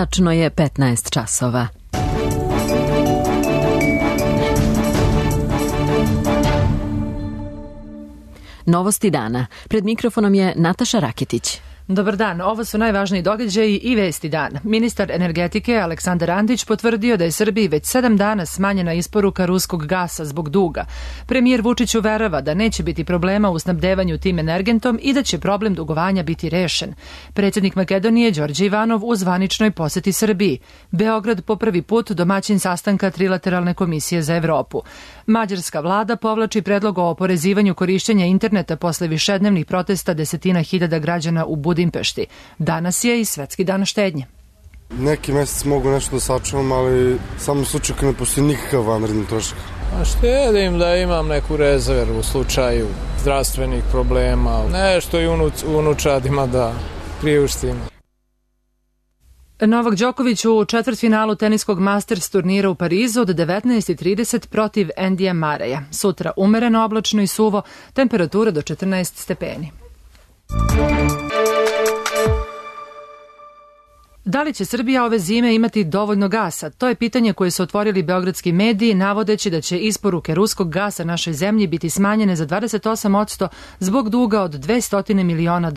Tačno je 15 časova. Novosti dana. Pred mikrofonom je Nataša Raketić. Dobar dan, ovo su najvažniji događaji i vesti dana. Ministar energetike Aleksandar Antić potvrdio da je Srbiji već 7 dana smanjena isporuka ruskog gasa zbog duga. Premijer Vučić uverava da neće biti problema u snabdevanju tim energentom i da će problem dugovanja biti rešen. Predsjednik Makedonije Đorđe Ivanov u zvaničnoj poseti Srbiji. Beograd po prvi put domaćin sastanka Trilateralne komisije za Evropu. Mađarska vlada povlači predlog o oporezivanju korišćenja interneta posle višednevnih protesta desetina hiljada građana u Budimpešti. Danas je i Svetski dan štednje. Neki mesec mogu nešto da sačuvam, ali samo u slučaju kad ne postoji nikakav vanredni trošak. Štedim da imam neku rezervu u slučaju zdravstvenih problema, nešto i unučadima da priuštim. Novak Đoković u četvrtfinalu teniskog Masters turnira u Parizu od 19:30 protiv Endija Mareja. Sutra umereno oblačno i suvo, temperatura do 14 stepeni. Da li će Srbija ove zime imati dovoljno gasa? To je pitanje koje su otvorili beogradski mediji, navodeći da će isporuke ruskog gasa našoj zemlji biti smanjene za 28% zbog duga od $200 miliona.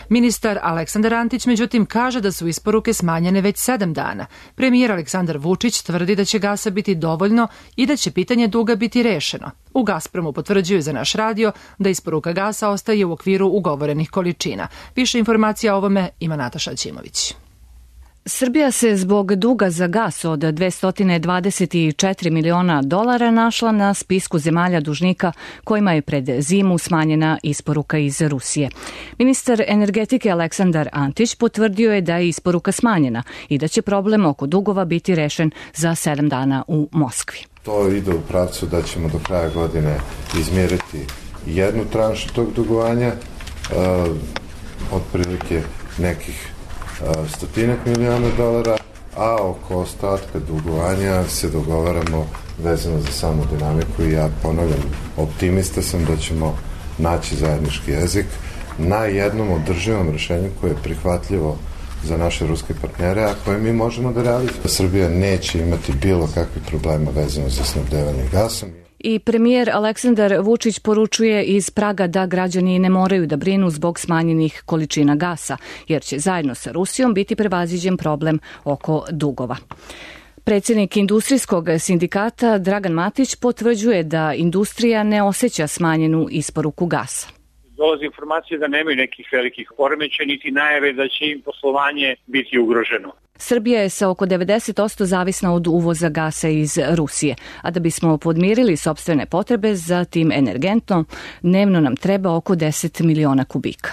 Ministar Aleksandar Antić, međutim, kaže da su isporuke smanjene već 7 dana. Premijer Aleksandar Vučić tvrdi da će gasa biti dovoljno i da će pitanje duga biti rešeno. U Gazpromu potvrđuju za naš radio da isporuka gasa ostaje u okviru ugovorenih količina. Više informacija o ovome ima Nataša Ćimović. Srbija se zbog duga za gas od $224 miliona našla na spisku zemalja dužnika kojima je pred zimu smanjena isporuka iz Rusije. Ministar energetike Aleksandar Antić potvrdio je da je isporuka smanjena i da će problem oko dugova biti rešen za 7 dana u Moskvi. To ide u pravcu da ćemo do kraja godine izmjeriti jednu tranšu tog dugovanja, otprilike nekih $100 miliona, a oko ostatka dugovanja se dogovaramo vezano za samu dinamiku i ja ponavljam, optimista sam da ćemo naći zajednički jezik na jednom održivom rešenju koje je prihvatljivo za naše ruske partnere, a koje mi možemo da realizujemo. Srbija neće imati bilo kakvih problema vezano za snabdevanje gasom. I premijer Aleksandar Vučić poručuje iz Praga da građani ne moraju da brinu zbog smanjenih količina gasa, jer će zajedno sa Rusijom biti prevaziđen problem oko dugova. Predsjednik industrijskog sindikata Dragan Matić potvrđuje da industrija ne osjeća smanjenu isporuku gasa. Dolazi informacije da nemaju nekih velikih poremećaja niti najave da će im poslovanje biti ugroženo. Srbija je sa oko 90% zavisna od uvoza gasa iz Rusije, a da bismo podmirili sopstvene potrebe za tim energentom, dnevno nam treba oko 10 miliona kubika.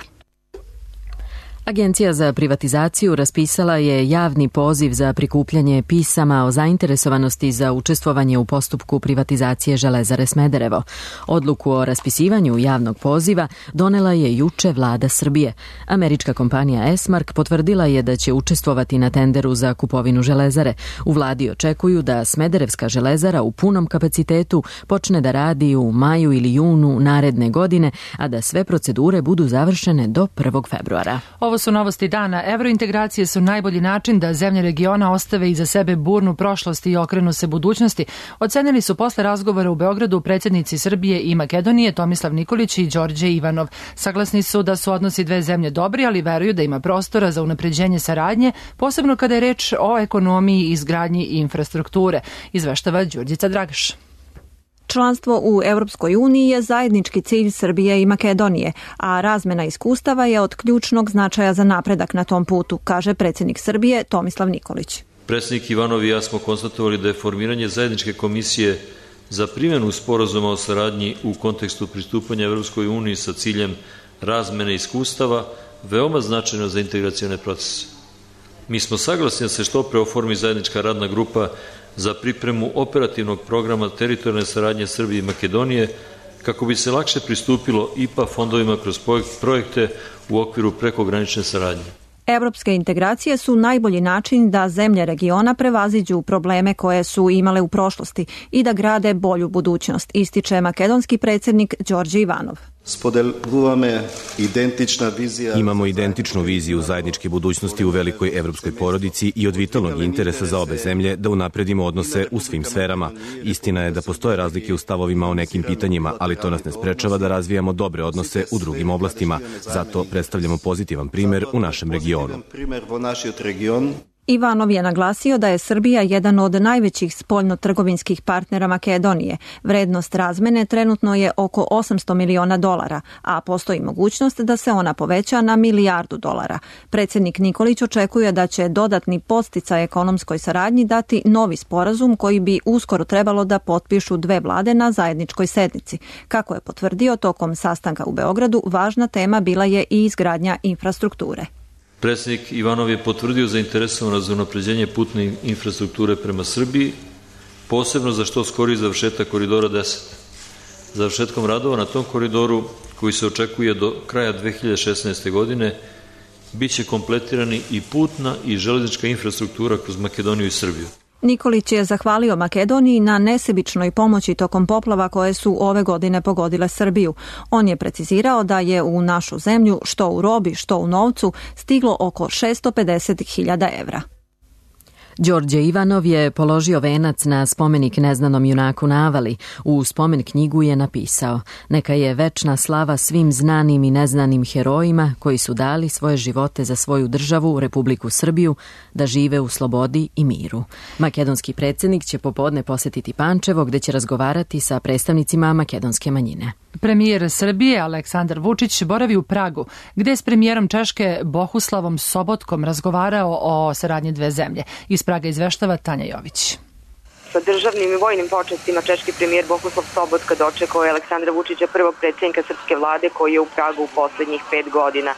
Agencija za privatizaciju raspisala je javni poziv za prikupljanje pisama o zainteresovanosti za učestvovanje u postupku privatizacije Železare Smederevo. Odluku o raspisivanju javnog poziva donela je juče vlada Srbije. Američka kompanija Esmark potvrdila je da će učestvovati na tenderu za kupovinu železare. U vladi očekuju da Smederevska železara u punom kapacitetu počne da radi u maju ili junu naredne godine, a da sve procedure budu završene do 1. februara. Ovo su novosti dana. Evrointegracije su najbolji način da zemlje regiona ostave iza sebe burnu prošlost i okrenu se budućnosti. Ocenili su posle razgovora u Beogradu predsjednici Srbije i Makedonije Tomislav Nikolić i Đorđe Ivanov. Saglasni su da su odnosi dve zemlje dobri, ali veruju da ima prostora za unapređenje saradnje, posebno kada je reč o ekonomiji i izgradnji infrastrukture, izveštava Đurđica Dragaš. Članstvo u Europskoj uniji je zajednički cilj Srbije i Makedonije, a razmena iskustava je od ključnog značaja za napredak na tom putu, kaže predsjednik Srbije Tomislav Nikolić. Predsjednik Ivanov i ja smo konstatovali da je formiranje zajedničke komisije za primjenu sporazuma o saradnji u kontekstu pristupanja Europskoj uniji sa ciljem razmene iskustava veoma značajno za integracione procese. Mi smo saglasni da se što pre oformi zajednička radna grupa za pripremu operativnog programa teritorijalne saradnje Srbije i Makedonije kako bi se lakše pristupilo IPA fondovima kroz projekte u okviru prekogranične saradnje. Evropske integracije su najbolji način da zemlje regiona prevaziđu probleme koje su imale u prošlosti i da grade bolju budućnost, ističe makedonski predsjednik Đorđe Ivanov. Imamo identičnu viziju zajedničke budućnosti u velikoj evropskoj porodici i od vitalnog interesa za obe zemlje da unapredimo odnose u svim sferama. Istina je da postoje razlike u stavovima o nekim pitanjima, ali to nas ne sprečava da razvijamo dobre odnose u drugim oblastima. Zato predstavljamo pozitivan primer u našem regionu. Ivanov je naglasio da je Srbija jedan od najvećih spoljno-trgovinskih partnera Makedonije. Vrednost razmene trenutno je oko $800 miliona, a postoji mogućnost da se ona poveća na $1 milijardu. Predsjednik Nikolić očekuje da će dodatni podsticaj ekonomskoj saradnji dati novi sporazum koji bi uskoro trebalo da potpišu dve vlade na zajedničkoj sednici. Kako je potvrdio tokom sastanka u Beogradu, važna tema bila je i izgradnja infrastrukture. Predsjednik Ivanov je potvrdio zainteresovanost za unapređenje putne infrastrukture prema Srbiji, posebno za što skoriji završetak koridora 10. Završetkom radova na tom koridoru, koji se očekuje do kraja 2016. godine, biće kompletirani i putna i železnička infrastruktura kroz Makedoniju i Srbiju. Nikolić je zahvalio Makedoniji na nesebičnoj pomoći tokom poplava koje su ove godine pogodile Srbiju. On je precizirao da je u našu zemlju, što u robi, što u novcu, stiglo oko 650.000 evra. Đorđe Ivanov je položio venac na spomenik neznanom junaku na Avali. U spomen knjigu je napisao: "Neka je večna slava svim znanim i neznanim herojima koji su dali svoje živote za svoju državu, Republiku Srbiju, da žive u slobodi i miru." Makedonski predsjednik će popodne posetiti Pančevo, gde će razgovarati sa predstavnicima makedonske manjine. Premijer Srbije Aleksandar Vučić boravi u Pragu, gde je s premijerom Češke Bohuslavom Sobotkom razgovarao o saradnji dve zemlje. Iz Praga izveštava Tanja Jović. Sa državnim i vojnim počestima češki premijer Bohuslav Sobotka dočekao je Aleksandra Vučića, prvog predsjednika srpske vlade koji je u Pragu u poslednjih 5 godina.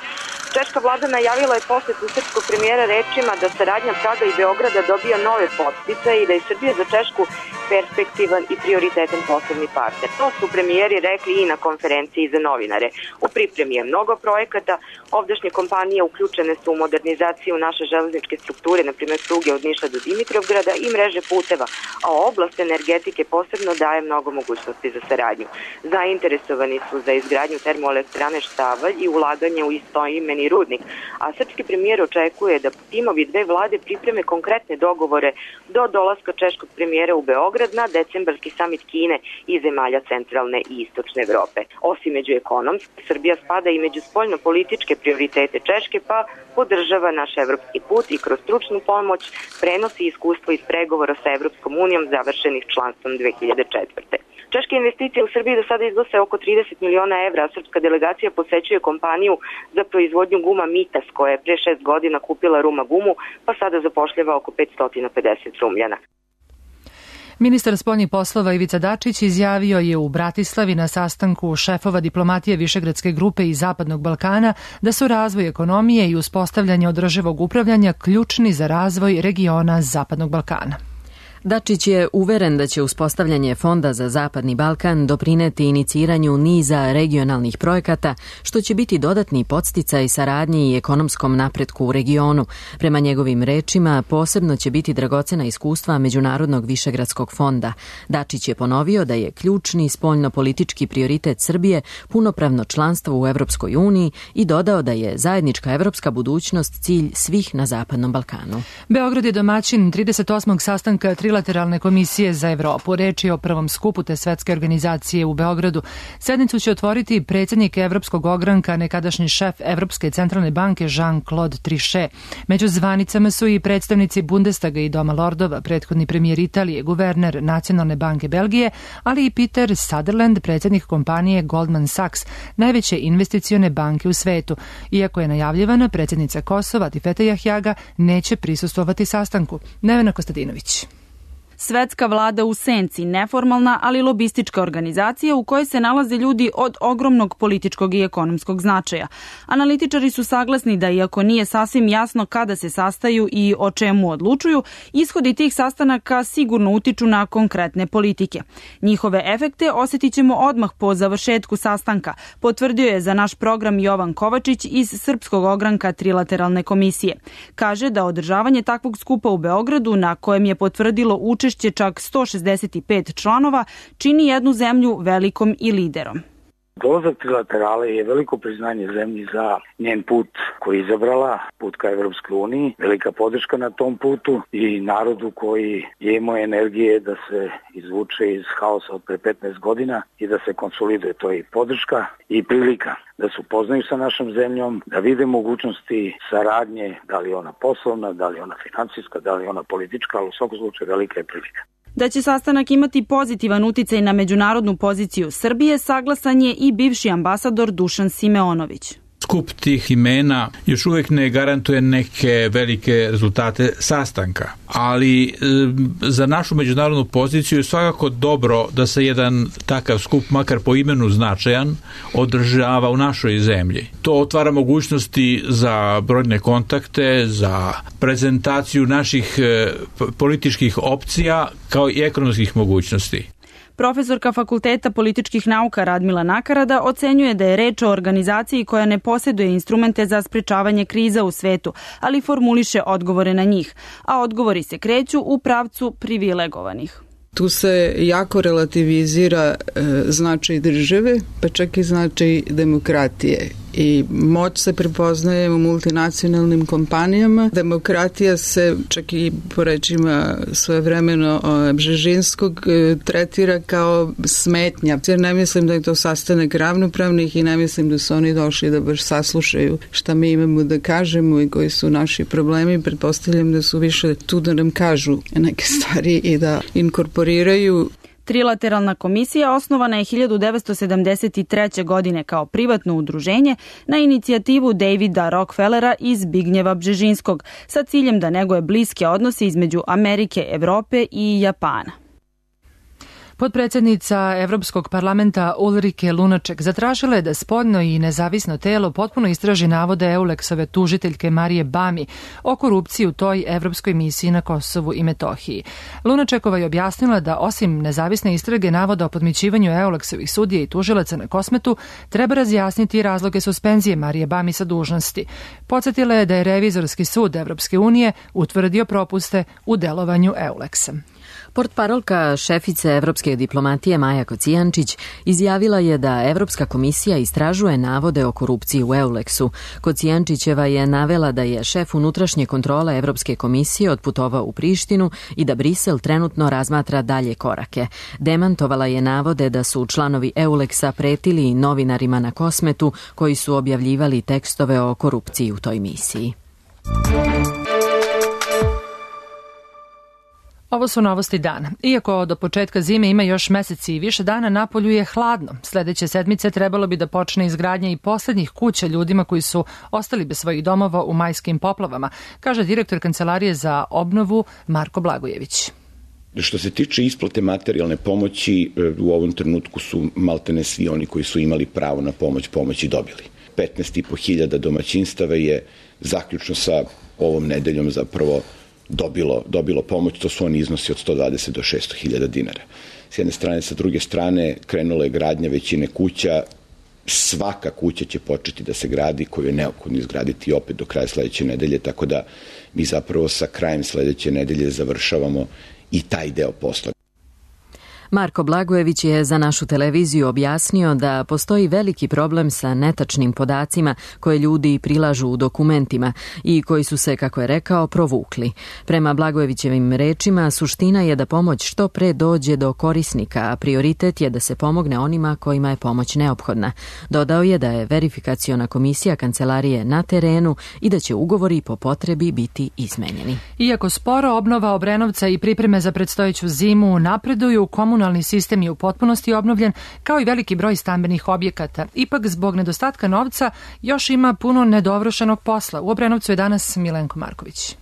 Češka vlada najavila je posetu srpskog premijera rečima da saradnja Praga i Beograda dobija nove podsticaje i da je Srbija za Češku perspektivan i prioritetan poslovni partner. To su premijeri rekli i na konferenciji za novinare. U pripremi je mnogo projekata, ovdašnje kompanije uključene su u modernizaciju naše železničke strukture, na primjer pruge od Niša do Dimitrovgrada i mreže puteva, a oblast energetike posebno daje mnogo mogućnosti za saradnju. Zainteresovani su za izgradnju termoelektrane Štavalj i ulaganje u istoimeni rudnik, a srpski premijer očekuje da timovi dve vlade pripreme konkretne dogovore do dolaska češkog premijera u Beograd na decembarski samit Kine i zemalja centralne i istočne Evrope. Osim među ekonomski, Srbija spada i među spoljno-političke prioritete Češke, pa podržava naš evropski put i kroz stručnu pomoć prenosi iskustvo iz pregovora sa Evropskom unijom završenih članstvom 2004. Češke investicije u Srbiji do sada iznose oko 30 miliona evra, a srpska delegacija posećuje kompaniju za proizvodnju guma Mitas, koja je pre 6 godina kupila Ruma gumu, pa sada zapošljava oko 550 Rumljana. Ministar spoljnih poslova Ivica Dačić izjavio je u Bratislavi na sastanku šefova diplomatije Višegradske grupe i Zapadnog Balkana da su razvoj ekonomije i uspostavljanje održivog upravljanja ključni za razvoj regiona Zapadnog Balkana. Dačić je uveren da će uspostavljanje Fonda za Zapadni Balkan doprineti iniciranju niza regionalnih projekata, što će biti dodatni podsticaj saradnji i ekonomskom napretku u regionu. Prema njegovim rečima, posebno će biti dragocena iskustva Međunarodnog Višegradskog fonda. Dačić je ponovio da je ključni spoljno-politički prioritet Srbije punopravno članstvo u Evropskoj uniji i dodao da je zajednička evropska budućnost cilj svih na Zapadnom Balkanu. Beograd je domaćin 38. sastanka Trilateralne komisije za Evropu. Reč je o prvom skupu te svetske organizacije u Beogradu. Sednicu će otvoriti predsjednik Evropskog ogranka, nekadašnji šef Evropske centralne banke Jean-Claude Trichet. Među zvanicama su i predstavnici Bundestaga i Doma lordova, prethodni premijer Italije, guverner Nacionalne banke Belgije, ali i Peter Sutherland, predsjednik kompanije Goldman Sachs, najveće investicione banke u svetu. Iako je najavljivana, predsjednica Kosova Tifete Jahjaga neće prisustvovati sastanku. Nevena Kostadinović. Svetska vlada u senci, neformalna, ali lobistička organizacija u kojoj se nalaze ljudi od ogromnog političkog i ekonomskog značaja. Analitičari su saglasni da, iako nije sasvim jasno kada se sastaju i o čemu odlučuju, ishodi tih sastanaka sigurno utiču na konkretne politike. Njihove efekte osjetit ćemo odmah po završetku sastanka, potvrdio je za naš program Jovan Kovačić iz Srpskog ogranka Trilateralne komisije. Kaže da održavanje takvog skupa u Beogradu, na kojem je potvrdilo učešće čak 165 članova, čini jednu zemlju velikom i liderom. Dolazak trilaterale je veliko priznanje zemlji za njen put koji je izabrala, put ka Evropskoj uniji, velika podrška na tom putu i narodu koji je imao energije da se izvuče iz haosa od pre 15 godina i da se konsoliduje. To je i podrška i prilika da se upoznaju sa našom zemljom, da vide mogućnosti saradnje, da li je ona poslovna, da li je ona financijska, da li je ona politička, ali u svakom slučaju velika je prilika. Da će sastanak imati pozitivan uticaj na međunarodnu poziciju Srbije, saglasan je i bivši ambasador Dušan Simeonović. Skup tih imena još uvijek ne garantuje neke velike rezultate sastanka, ali za našu međunarodnu poziciju je svakako dobro da se jedan takav skup, makar po imenu značajan, održava u našoj zemlji. To otvara mogućnosti za brojne kontakte, za prezentaciju naših političkih opcija kao i ekonomskih mogućnosti. Profesorka Fakulteta političkih nauka Radmila Nakarada ocenjuje da je reč o organizaciji koja ne posjeduje instrumente za sprečavanje kriza u svetu, ali formuliše odgovore na njih, a odgovori se kreću u pravcu privilegovanih. Tu se jako relativizira značaj države, pa čak i značaj demokratije. I moć se prepoznaje u multinacionalnim kompanijama. Demokratija se, čak i po rečima svojevremeno Bžežinskog, tretira kao smetnja. Jer ne mislim da je to sastanak ravnopravnih i ne mislim da su oni došli da baš saslušaju šta mi imamo da kažemo i koji su naši problemi. Pretpostavljam da su više tu da nam kažu neke stvari i da inkorporiraju. Trilateralna komisija osnovana je 1973. godine kao privatno udruženje na inicijativu Davida Rockefellera i Zbignjeva Bžežinskog sa ciljem da neguje bliske odnose između Amerike, Evrope i Japana. Potpredsjednica Evropskog parlamenta Ulrike Lunaček zatražila je da spoljno i nezavisno telo potpuno istraži navode Eulexove tužiteljke Marije Bami o korupciji u toj evropskoj misiji na Kosovu i Metohiji. Lunačekova je objasnila da osim nezavisne istrage navoda o podmićivanju Eulexovih sudija i tužilaca na Kosmetu, treba razjasniti razloge suspenzije Marije Bami sa dužnosti. Podsjetila je da je Revizorski sud Evropske unije utvrdio propuste u delovanju Eulexa. Portparolka šefice evropske diplomatije Maja Kocijančić izjavila je da Evropska komisija istražuje navode o korupciji u Eulexu. Kocijančićeva je navela da je šef unutrašnje kontrole Evropske komisije otputovao u Prištinu i da Brisel trenutno razmatra dalje korake. Demantovala je navode da su članovi Eulexa pretili novinarima na Kosmetu koji su objavljivali tekstove o korupciji u toj misiji. Ovo su novosti dana. Iako do početka zime ima još meseci i više dana, napolju je hladno. Sljedeće sedmice trebalo bi da počne izgradnja i posljednjih kuća ljudima koji su ostali bez svojih domova u majskim poplavama, kaže direktor Kancelarije za obnovu Marko Blagojević. Što se tiče isplate materijalne pomoći, u ovom trenutku su maltene svi oni koji su imali pravo na pomoć i dobili. 15.500 domaćinstava je zaključno sa ovom nedeljom zapravo dobilo pomoć, to su oni iznosi od 120 do 600.000 dinara. S jedne strane, sa druge strane, krenula je gradnja većine kuća, svaka kuća će početi da se gradi koju je neophodno izgraditi opet do kraja sledeće nedelje, tako da mi zapravo sa krajem sledeće nedelje završavamo i taj deo posla. Marko Blagojević je za našu televiziju objasnio da postoji veliki problem sa netačnim podacima koje ljudi prilažu u dokumentima i koji su se, kako je rekao, provukli. Prema Blagojevićevim rečima, suština je da pomoć što pre dođe do korisnika, a prioritet je da se pomogne onima kojima je pomoć neophodna. Dodao je da je verifikaciona komisija Kancelarije na terenu i da će ugovori po potrebi biti izmenjeni. Iako sporo, obnova Obrenovca i pripreme za predstojeću zimu napreduju, komunalni sistem je u potpunosti obnovljen, kao i veliki broj stambenih objekata. Ipak, zbog nedostatka novca, još ima puno nedovršenog posla. U Obrenovcu je danas Milenko Marković.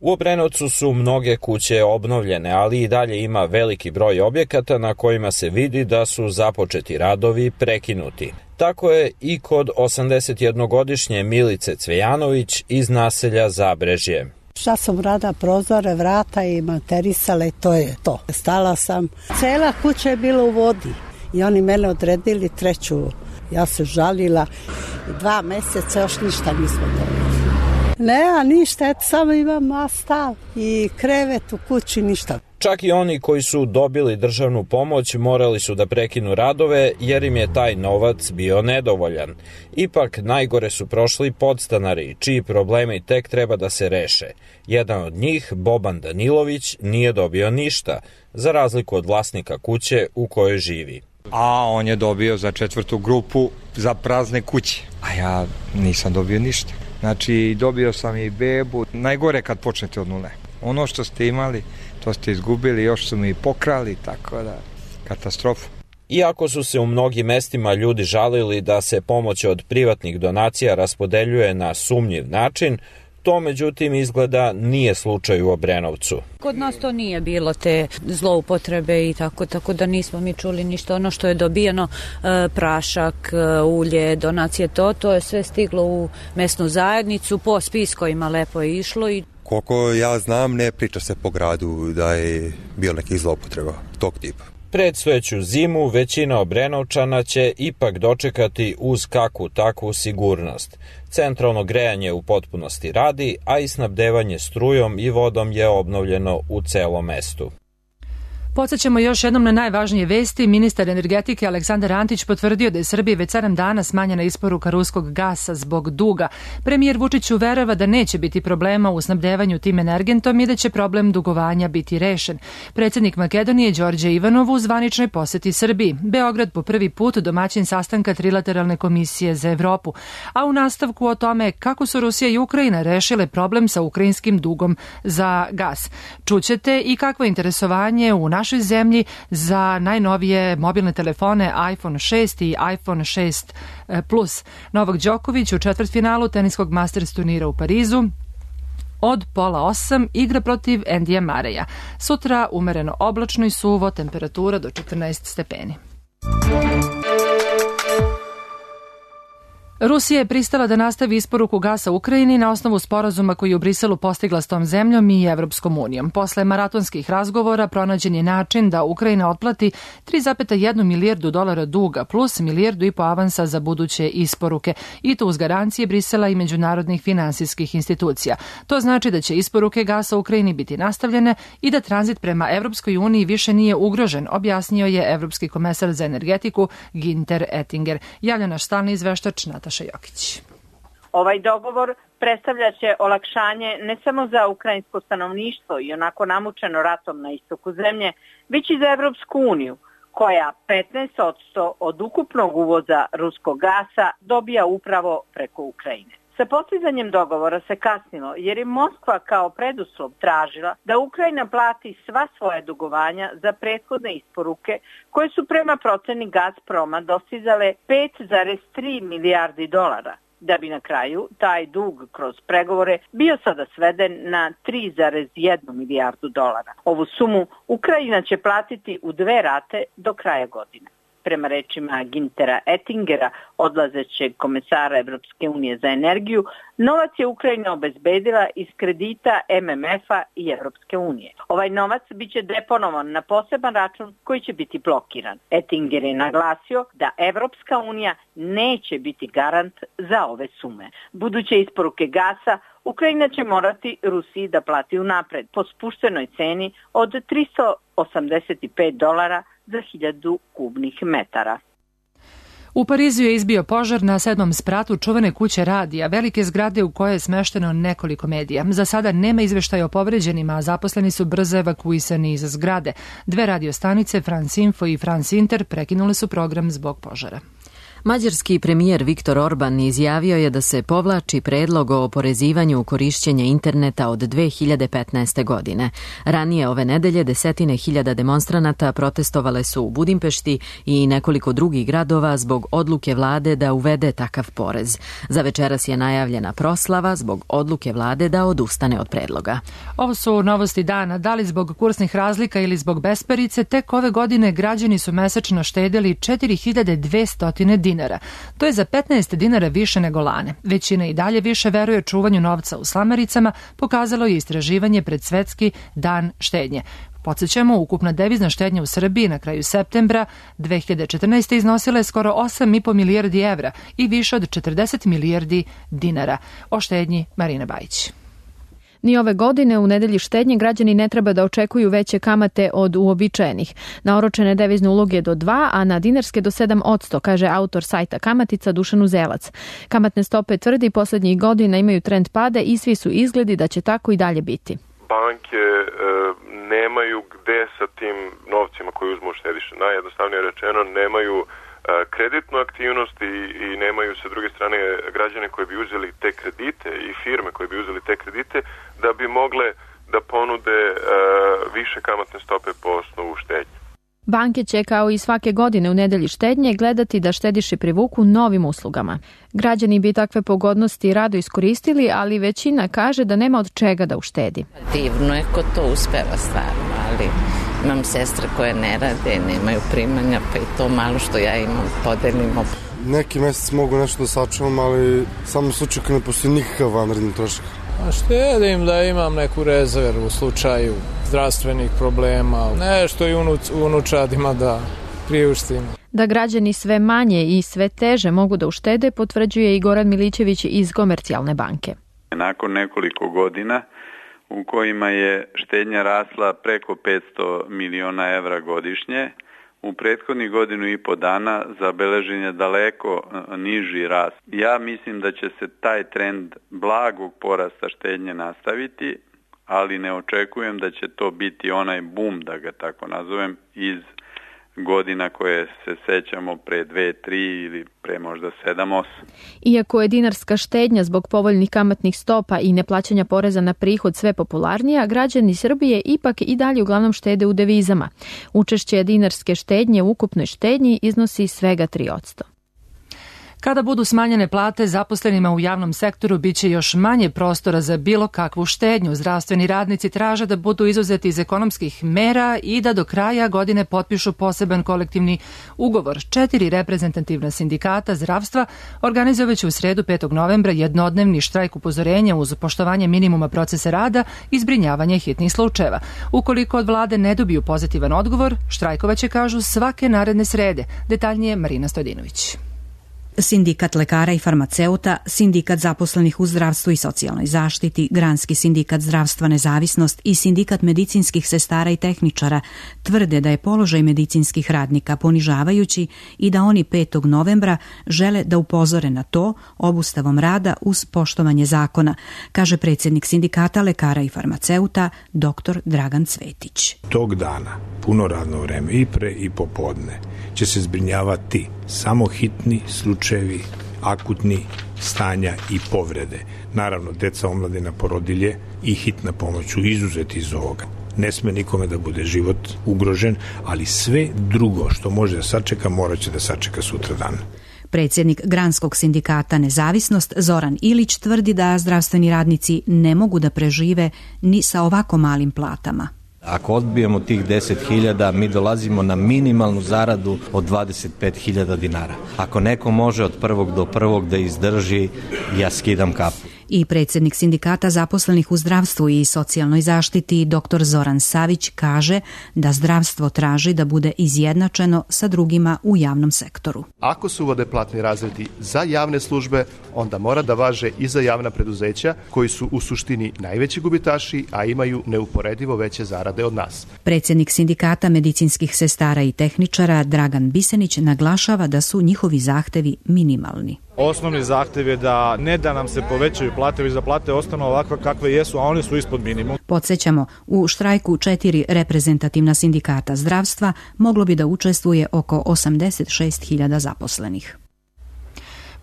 U Obrenovcu su mnoge kuće obnovljene, ali i dalje ima veliki broj objekata na kojima se vidi da su započeti radovi prekinuti. Tako je i kod 81-godišnje Milice Cvejanović iz naselja Zabrežje. Šta sam rada, prozore, vrata i materisale, to je to. Stala sam, cela kuća je bila u vodi i oni mene odredili treću. Ja se žalila, 2 meseca još ništa nismo dobili. Ne, ništa, eto samo imam stav i krevet u kući, ništa. Čak i oni koji su dobili državnu pomoć morali su da prekinu radove jer im je taj novac bio nedovoljan. Ipak najgore su prošli podstanari, čiji problemi tek treba da se reše. Jedan od njih, Boban Danilović, nije dobio ništa, za razliku od vlasnika kuće u kojoj živi. A on je dobio za 4. grupu za prazne kuće, a ja nisam dobio ništa. Znači, dobio sam i bebu. Najgore kad počnete od nule. Ono što ste imali, to ste izgubili, još su mi pokrali, tako da, katastrofa. Iako su se u mnogim mestima ljudi žalili da se pomoć od privatnih donacija raspodeljuje na sumnjiv način, to međutim izgleda nije slučaj u Obrenovcu. Kod nas to nije bilo te zloupotrebe i tako da nismo mi čuli ništa. Ono što je dobijeno, prašak, ulje, donacije, to je sve stiglo u mesnu zajednicu, po spiskovima lepo je išlo. Koliko ja znam, ne priča se po gradu da je bilo nekih zloupotreba tog tipa. Predstojeću zimu većina Obrenovčana će ipak dočekati uz kakvu takvu sigurnost. Centralno grejanje u potpunosti radi, a i snabdevanje strujom i vodom je obnovljeno u celom mestu. Podsećamo još jednom na najvažnije vesti. Ministar energetike Aleksandar Antić potvrdio da je Srbiji već 7 dana smanjena isporuka ruskog gasa zbog duga. Premijer Vučić uverava da neće biti problema u snabdevanju tim energentom i da će problem dugovanja biti rešen. Predsjednik Makedonije Đorđe Ivanov u zvaničnoj poseti Srbiji. Beograd po prvi put domaćin sastanka Trilateralne komisije za Evropu. A u nastavku o tome kako su Rusija i Ukrajina rešile problem sa ukrajinskim dugom za gas. Čućete i kakvo interesovanje u našoj zemlji za najnovije mobilne telefone iPhone 6 i iPhone 6 Plus. Novak Đoković u četvrtfinalu teniskog Masters turnira u Parizu od 7:30 igra protiv Endija Mareja. Sutra umereno oblačno i suvo, temperatura do 14 stepeni. Rusija je pristala da nastavi isporuku gasa Ukrajini na osnovu sporazuma koji je u Briselu postigla s tom zemljom i Evropskom unijom. Posle maratonskih razgovora pronađen je način da Ukrajina otplati 3,1 milijardu dolara duga plus 1,5 milijardu avansa za buduće isporuke i to uz garancije Brisela i međunarodnih finansijskih institucija. To znači da će isporuke gasa Ukrajini biti nastavljene i da tranzit prema Evropskoj uniji više nije ugrožen, objasnio je Evropski komesar za energetiku Ginter Ettinger. Javlja naš stalni izveštač Nataša Jokić. Ovaj dogovor predstavljaće olakšanje ne samo za ukrajinsko stanovništvo i onako namučeno ratom na istoku zemlje, već i za Evropsku uniju, koja 15% od ukupnog uvoza ruskog gasa dobija upravo preko Ukrajine. Sa postizanjem dogovora se kasnilo jer je Moskva kao preduslov tražila da Ukrajina plati sva svoja dugovanja za prethodne isporuke koje su prema proceni Gazproma dostizale 5,3 milijardi dolara, da bi na kraju taj dug kroz pregovore bio sada sveden na 3,1 milijardu dolara. Ovu sumu Ukrajina će platiti u 2 rate do kraja godine. Prema rečima Gintera Ettingera, odlazećeg komesara Evropske unije za energiju, novac je Ukrajina obezbedila iz kredita MMF-a i Evropske unije. Ovaj novac biće deponovan na poseban račun koji će biti blokiran. Ettinger je naglasio da Evropska unija neće biti garant za ove sume. Buduće isporuke gasa Ukrajina će morati Rusiji da plati unapred po spuštenoj ceni od $385 za 1000 kubnih metara. U Parizu je izbio požar na 7. spratu čuvene kuće radija, velike zgrade u kojoj je smešteno nekoliko medija. Za sada nema izveštaja o povređenima, a zaposleni su brzo evakuisani iz zgrade. 2 radio stanice, France Info i France Inter, prekinule su program zbog požara. Mađarski premijer Viktor Orban izjavio je da se povlači predlog o oporezivanju korišćenja interneta od 2015. godine. Ranije ove nedelje 10.000 demonstranata protestovale su u Budimpešti i nekoliko drugih gradova zbog odluke vlade da uvede takav porez. Za večeras je najavljena proslava zbog odluke vlade da odustane od predloga. Ovo su novosti dana. Da li zbog kursnih razlika ili zbog besparice, tek ove godine građani su mesečno štedeli 4.200 dinara. To je za 15 dinara više nego lane. Većina i dalje više veruje čuvanju novca u slamaricama, pokazalo je istraživanje pred Svetski dan štednje. Podsjećamo, ukupna devizna štednja u Srbiji na kraju septembra 2014. iznosila je skoro 8,5 milijardi evra i više od 40 milijardi dinara. O štednji Marina Bajić. Ni ove godine u nedelji štednje građani ne treba da očekuju veće kamate od uobičajenih. Na oročene devizne uloge do 2, a na dinarske do 7%, kaže autor sajta Kamatica Dušan Uzelac. Kamatne stope, tvrdi, poslednjih godina imaju trend pada i svi su izgledi da će tako i dalje biti. Banke nemaju gde sa tim novcima koji uzmu štediše. Najjednostavnije rečeno, nemaju kreditnu aktivnost i nemaju sa druge strane građane koji bi uzeli te kredite i firme koje bi uzeli te kredite da bi mogle da ponude više kamatne stope po osnovu štednje. Banke će kao i svake godine u nedelji štednje gledati da štediše privuku novim uslugama. Građani bi takve pogodnosti rado iskoristili, ali većina kaže da nema od čega da uštedi. Divno je ko to uspeva stvarno, ali imam sestre koje ne rade, nemaju primanja, pa i to malo što ja imam podelimo. Neki mesec mogu nešto da sačuvam, ali samo u slučaju kad ne postoji nikakav vanredni trošak. A štedim da imam neku rezervu u slučaju zdravstvenih problema, nešto i unučadima da priuštim. Da građani sve manje i sve teže mogu da uštede, potvrđuje i Goran Milićević iz Komercijalne banke. Nakon nekoliko godina u kojima je štednja rasla preko 500 miliona evra godišnje, u prethodnih godinu i po dana zabeležen je daleko niži rast. Ja mislim da će se taj trend blagog porasta štednje nastaviti, ali ne očekujem da će to biti onaj bum, da ga tako nazovem, iz godina koje se sećamo pre 2, 3 ili pre možda 7, 8. Iako je dinarska štednja zbog povoljnih kamatnih stopa i neplaćanja poreza na prihod sve popularnija, građani Srbije ipak i dalje uglavnom štede u devizama. Učešće dinarske štednje u ukupnoj štednji iznosi svega 3%. Kada budu smanjene plate zaposlenima u javnom sektoru, biće još manje prostora za bilo kakvu štednju. Zdravstveni radnici traže da budu izuzeti iz ekonomskih mera i da do kraja godine potpišu poseban kolektivni ugovor. 4 reprezentativna sindikata zdravstva organizovaće u sredu 5. novembra jednodnevni štrajk upozorenja uz poštovanje minimuma procesa rada i zbrinjavanje hitnih slučajeva. Ukoliko od vlade ne dobiju pozitivan odgovor, štrajkovaće, kažu, svake naredne srede. Detaljnije Marina Stojdinović. Sindikat lekara i farmaceuta, sindikat zaposlenih u zdravstvu i socijalnoj zaštiti, Granski sindikat zdravstva Nezavisnost i sindikat medicinskih sestara i tehničara tvrde da je položaj medicinskih radnika ponižavajući i da oni 5. novembra žele da upozore na to obustavom rada uz poštovanje zakona, kaže predsjednik sindikata lekara i farmaceuta dr. Dragan Cvetić. Tog dana, puno radno vreme i pre i popodne, će se zbrinjavati samo hitni slučajevi, akutni stanja i povrede. Naravno, deca, omladina, porodilje i hitna pomoć su izuzeti iz ovoga. Ne sme nikome da bude život ugrožen, ali sve drugo što može da sačeka, morat će da sačeka sutra dan. Predsjednik Granskog sindikata Nezavisnost Zoran Ilić tvrdi da zdravstveni radnici ne mogu da prežive ni sa ovako malim platama. Ako odbijemo tih 10.000, mi dolazimo na minimalnu zaradu od 25.000 dinara. Ako neko može od 1. do 1. da izdrži, ja skidam kapu. I predsjednik sindikata zaposlenih u zdravstvu i socijalnoj zaštiti dr. Zoran Savić kaže da zdravstvo traži da bude izjednačeno sa drugima u javnom sektoru. Ako se uvode platni razredi za javne službe, onda mora da važe i za javna preduzeća koji su u suštini najveći gubitaši, a imaju neuporedivo veće zarade od nas. Predsjednik sindikata medicinskih sestara i tehničara Dragan Bisenić naglašava da su njihovi zahtevi minimalni. Osnovni zahtev je da ne da nam se povećaju plate, već da plate ostanu ovakve kakve jesu, a oni su ispod minimum. Podsjećamo, u štrajku 4 reprezentativna sindikata zdravstva moglo bi da učestvuje oko 86.000 zaposlenih.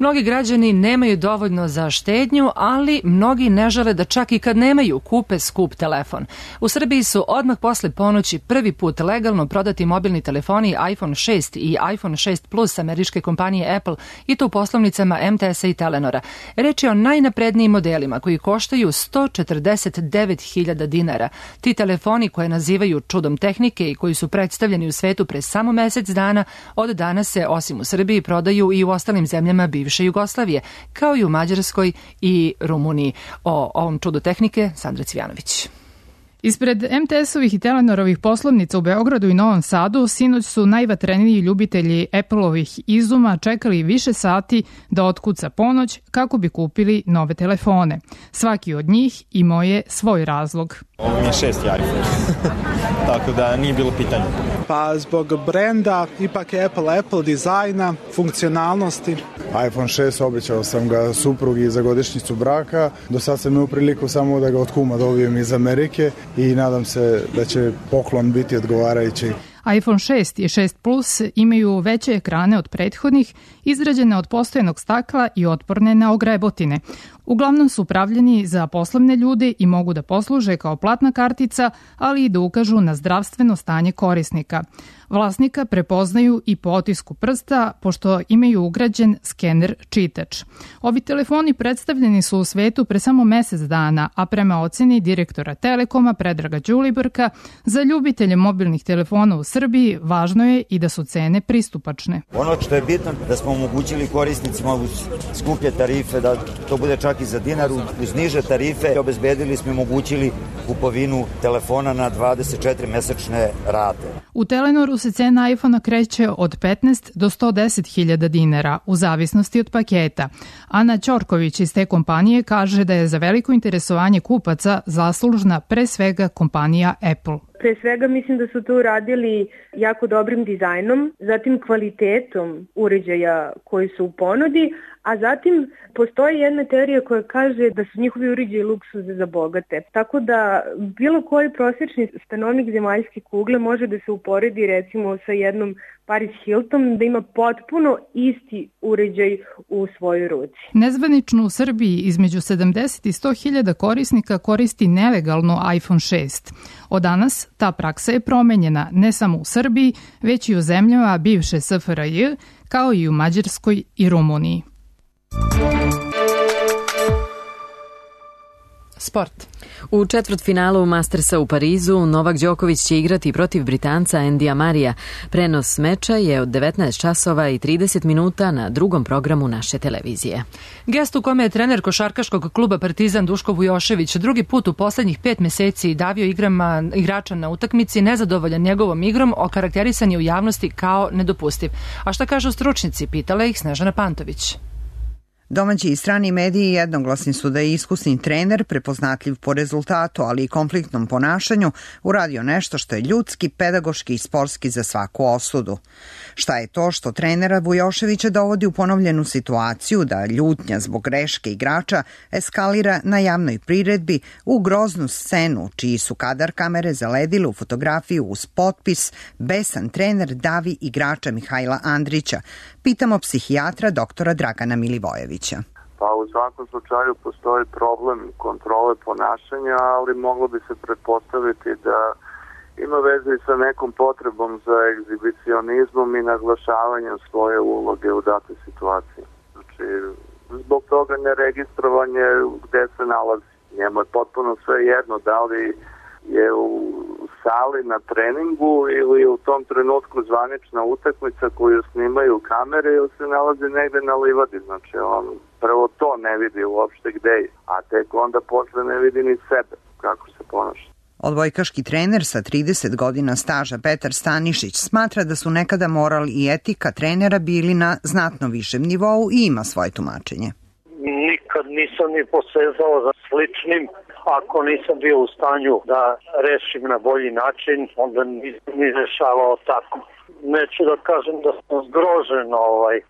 Mnogi građani nemaju dovoljno za štednju, ali mnogi ne žele da čak i kad nemaju kupe skup telefon. U Srbiji su odmah posle ponoći prvi put legalno prodati mobilni telefoni iPhone 6 i iPhone 6 Plus američke kompanije Apple i to u poslovnicama MTS-a i Telenora. Reč je o najnaprednijim modelima koji koštaju 149.000 dinara. Ti telefoni koje nazivaju čudom tehnike i koji su predstavljeni u svetu pre samo mesec dana, od danas se osim u Srbiji prodaju i u ostalim zemljama bivše Jugoslavije, kao i u Mađarskoj i Rumuniji. O ovom čudu tehnike Sandra Cvjanović. Ispred MTS-ovih i Telenorovih poslovnica u Beogradu i Novom Sadu sinoć su najvatreniji ljubitelji Apple-ovih izuma čekali više sati da otkuca ponoć kako bi kupili nove telefone. Svaki od njih imao je svoj razlog. Ovo mi je 6. iPhone, tako da nije bilo pitanja. Pa zbog brenda, ipak je Apple dizajna, funkcionalnosti. iPhone 6 obećao sam ga suprugi za godišnjicu braka. Do sad sam imao priliku samo da ga od kuma dobijem iz Amerike i nadam se da će poklon biti odgovarajući. iPhone 6 i 6 Plus imaju veće ekrane od prethodnih, izrađene od postojanog stakla i otporne na ogrebotine. Uglavnom su pravljeni za poslovne ljude i mogu da posluže kao platna kartica, ali i da ukažu na zdravstveno stanje korisnika. Vlasnika prepoznaju i po otisku prsta, pošto imaju ugrađen skener čitač. Ovi telefoni predstavljeni su u svetu pre samo mesec dana, a prema oceni direktora Telekoma Predraga Đulibrka, za ljubitelje mobilnih telefona u Srbiji važno je i da su cene pristupačne. Ono što je bitno da smo omogućili korisnicima uz skuplje tarife, da to bude čak i za dinar, uz niže tarife obezbedili smo i omogućili kupovinu telefona na 24 mesečne rate. U Telenoru se cena iPhone-a kreće od 15 do 110.000 dinara, u zavisnosti od paketa. Ana Ćorković iz te kompanije kaže da je za veliko interesovanje kupaca zaslužna pre svega kompanija Apple. Pre svega mislim da su to uradili jako dobrim dizajnom, zatim kvalitetom uređaja koji su u ponudi, a zatim postoji jedna teorija koja kaže da su njihovi uređaji luksuze za bogate. Tako da bilo koji prosječni stanovnik zemaljske kugle može da se uporedi recimo sa jednom Paris Hilton, da ima potpuno isti uređaj u svojoj ruci. Nezvanično u Srbiji između 70 i 100.000 korisnika koristi nelegalno iPhone 6. Od danas ta praksa je promenjena ne samo u Srbiji, već i u zemljama bivše SFRJ, kao i u Mađarskoj i Rumuniji. Sport. U četvrtfinalu Mastersa u Parizu Novak Đoković će igrati protiv Britanca Andija Marija. Prenos meča je od 19 časova i 30 minuta na drugom programu naše televizije. Gest u kome je trener košarkaškog kluba Partizan Duško Vujošević drugi put u poslednjih 5 meseci davio igrača na utakmici, nezadovoljan njegovom igrom, okarakterisan je u javnosti kao nedopustiv. A šta kažu stručnici, pitala ih Snežana Pantović. Domaći i strani mediji jednoglasni su da je iskusni trener, prepoznatljiv po rezultatu, ali i konfliktnom ponašanju, uradio nešto što je ljudski, pedagoški i sportski za svaku osudu. Šta je to što trenera Vujoševića dovodi u ponovljenu situaciju da ljutnja zbog greške igrača eskalira na javnoj priredbi u groznu scenu, čiji su kadar kamere zaledile u fotografiju uz potpis "Besan trener davi igrača Mihajla Andrića"? Pitamo psihijatra doktora Dragana Milivojevića. Pa u svakom slučaju postoji problem kontrole ponašanja, ali moglo bi se pretpostaviti da ima veze i sa nekom potrebom za egzibicionizmom i naglašavanjem svoje uloge u datoj situaciji. Znači, zbog toga neregistrovanje gde se nalazi. Njemu je potpuno sve jedno da li je u sali na treningu ili u tom trenutku zvanična utakmica koju snimaju kamere ili se nalazi negde na livadi. Znači, on prvo to ne vidi uopšte gde je, a tek onda posle ne vidi ni sebe kako se ponaša. Odbojkaški trener sa 30 godina staža Petar Stanišić smatra da su nekada moral i etika trenera bili na znatno višem nivou i ima svoje tumačenje. Nikad nisam ni posezao za sličnim. Ako nisam bio u stanju da rešim na bolji način, onda nisam ni rešavao tako. Neću da kažem da sam zgrožen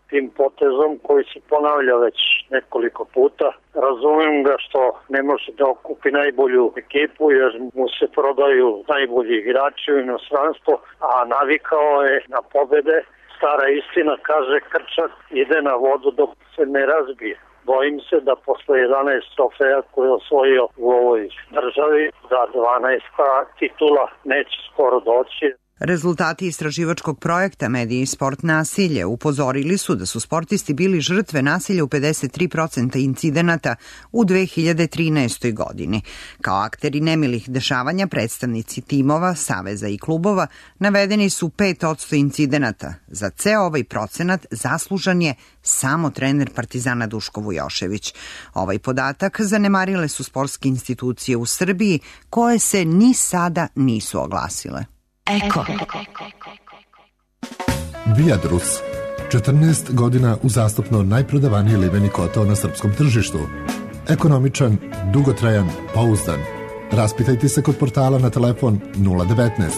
tim potezom koji se ponavlja već nekoliko puta. Razumem ga što ne može da okupi najbolju ekipu jer mu se prodaju najbolji igrači u inostranstvo, a navikao je na pobede. Stara istina kaže krčak ide na vodu dok se ne razbije. Bojim se da posle 11 trofeja koje je osvojio u ovoj državi, da 12 titula neće skoro doći. Rezultati istraživačkog projekta Mediji i sport nasilje upozorili su da su sportisti bili žrtve nasilja u 53% incidenata u 2013. godini. Kao akteri nemilih dešavanja, predstavnici timova, saveza i klubova navedeni su 5% incidenata. Za ceo ovaj procenat zaslužan je samo trener Partizana Duško Vujošević. Ovaj podatak zanemarile su sportske institucije u Srbiji koje se ni sada nisu oglasile. Eko. Viadrus. 14 godina uzastopno najprodavaniji liveni kotao na srpskom tržištu. Ekonomičan, dugotrajan, pouzdan. Raspitajte se kod portala na telefon 019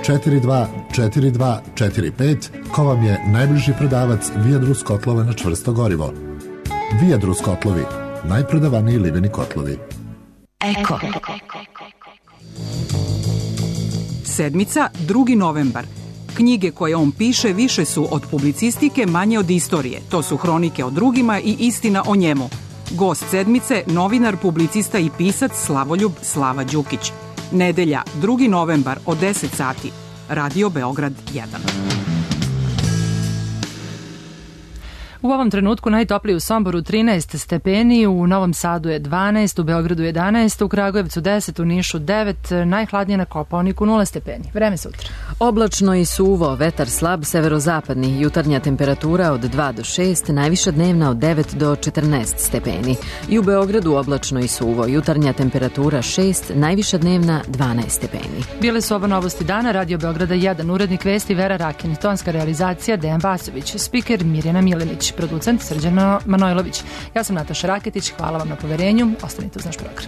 42 42 45 ko vam je najbliži prodavac Viadrus kotlova na čvrsto gorivo. Viadrus kotlovi. Najprodavaniji liveni kotlovi. Eko. Sedmica, 2. novembar. Knjige koje on piše više su od publicistike, manje od istorije. To su hronike o drugima i istina o njemu. Gost sedmice, novinar, publicista i pisac Slavoljub Slava Đukić. Nedelja, 2. novembar od 10 sati. Radio Beograd 1. U ovom trenutku najtopliji u Somboru 13 stepeni, u Novom Sadu je 12, u Beogradu 11, u Kragujevcu 10, u Nišu 9, najhladnije na Kopaoniku 0 stepeni. Vreme sutra. Oblačno i suvo, vetar slab, severozapadni, jutarnja temperatura od 2 do 6, najviša dnevna od 9 do 14 stepeni. I u Beogradu oblačno i suvo, jutarnja temperatura 6, najviša dnevna 12 stepeni. Bile su ovo novosti dana, Radio Beograda 1, urednik vesti Vera Rakin, tonska realizacija Dejan Vasović, spiker Mirjana Milenić, producent Srđan Manojlović. Ja sam Nataša Raketić, hvala vam na poverenju, ostanite uz naš program.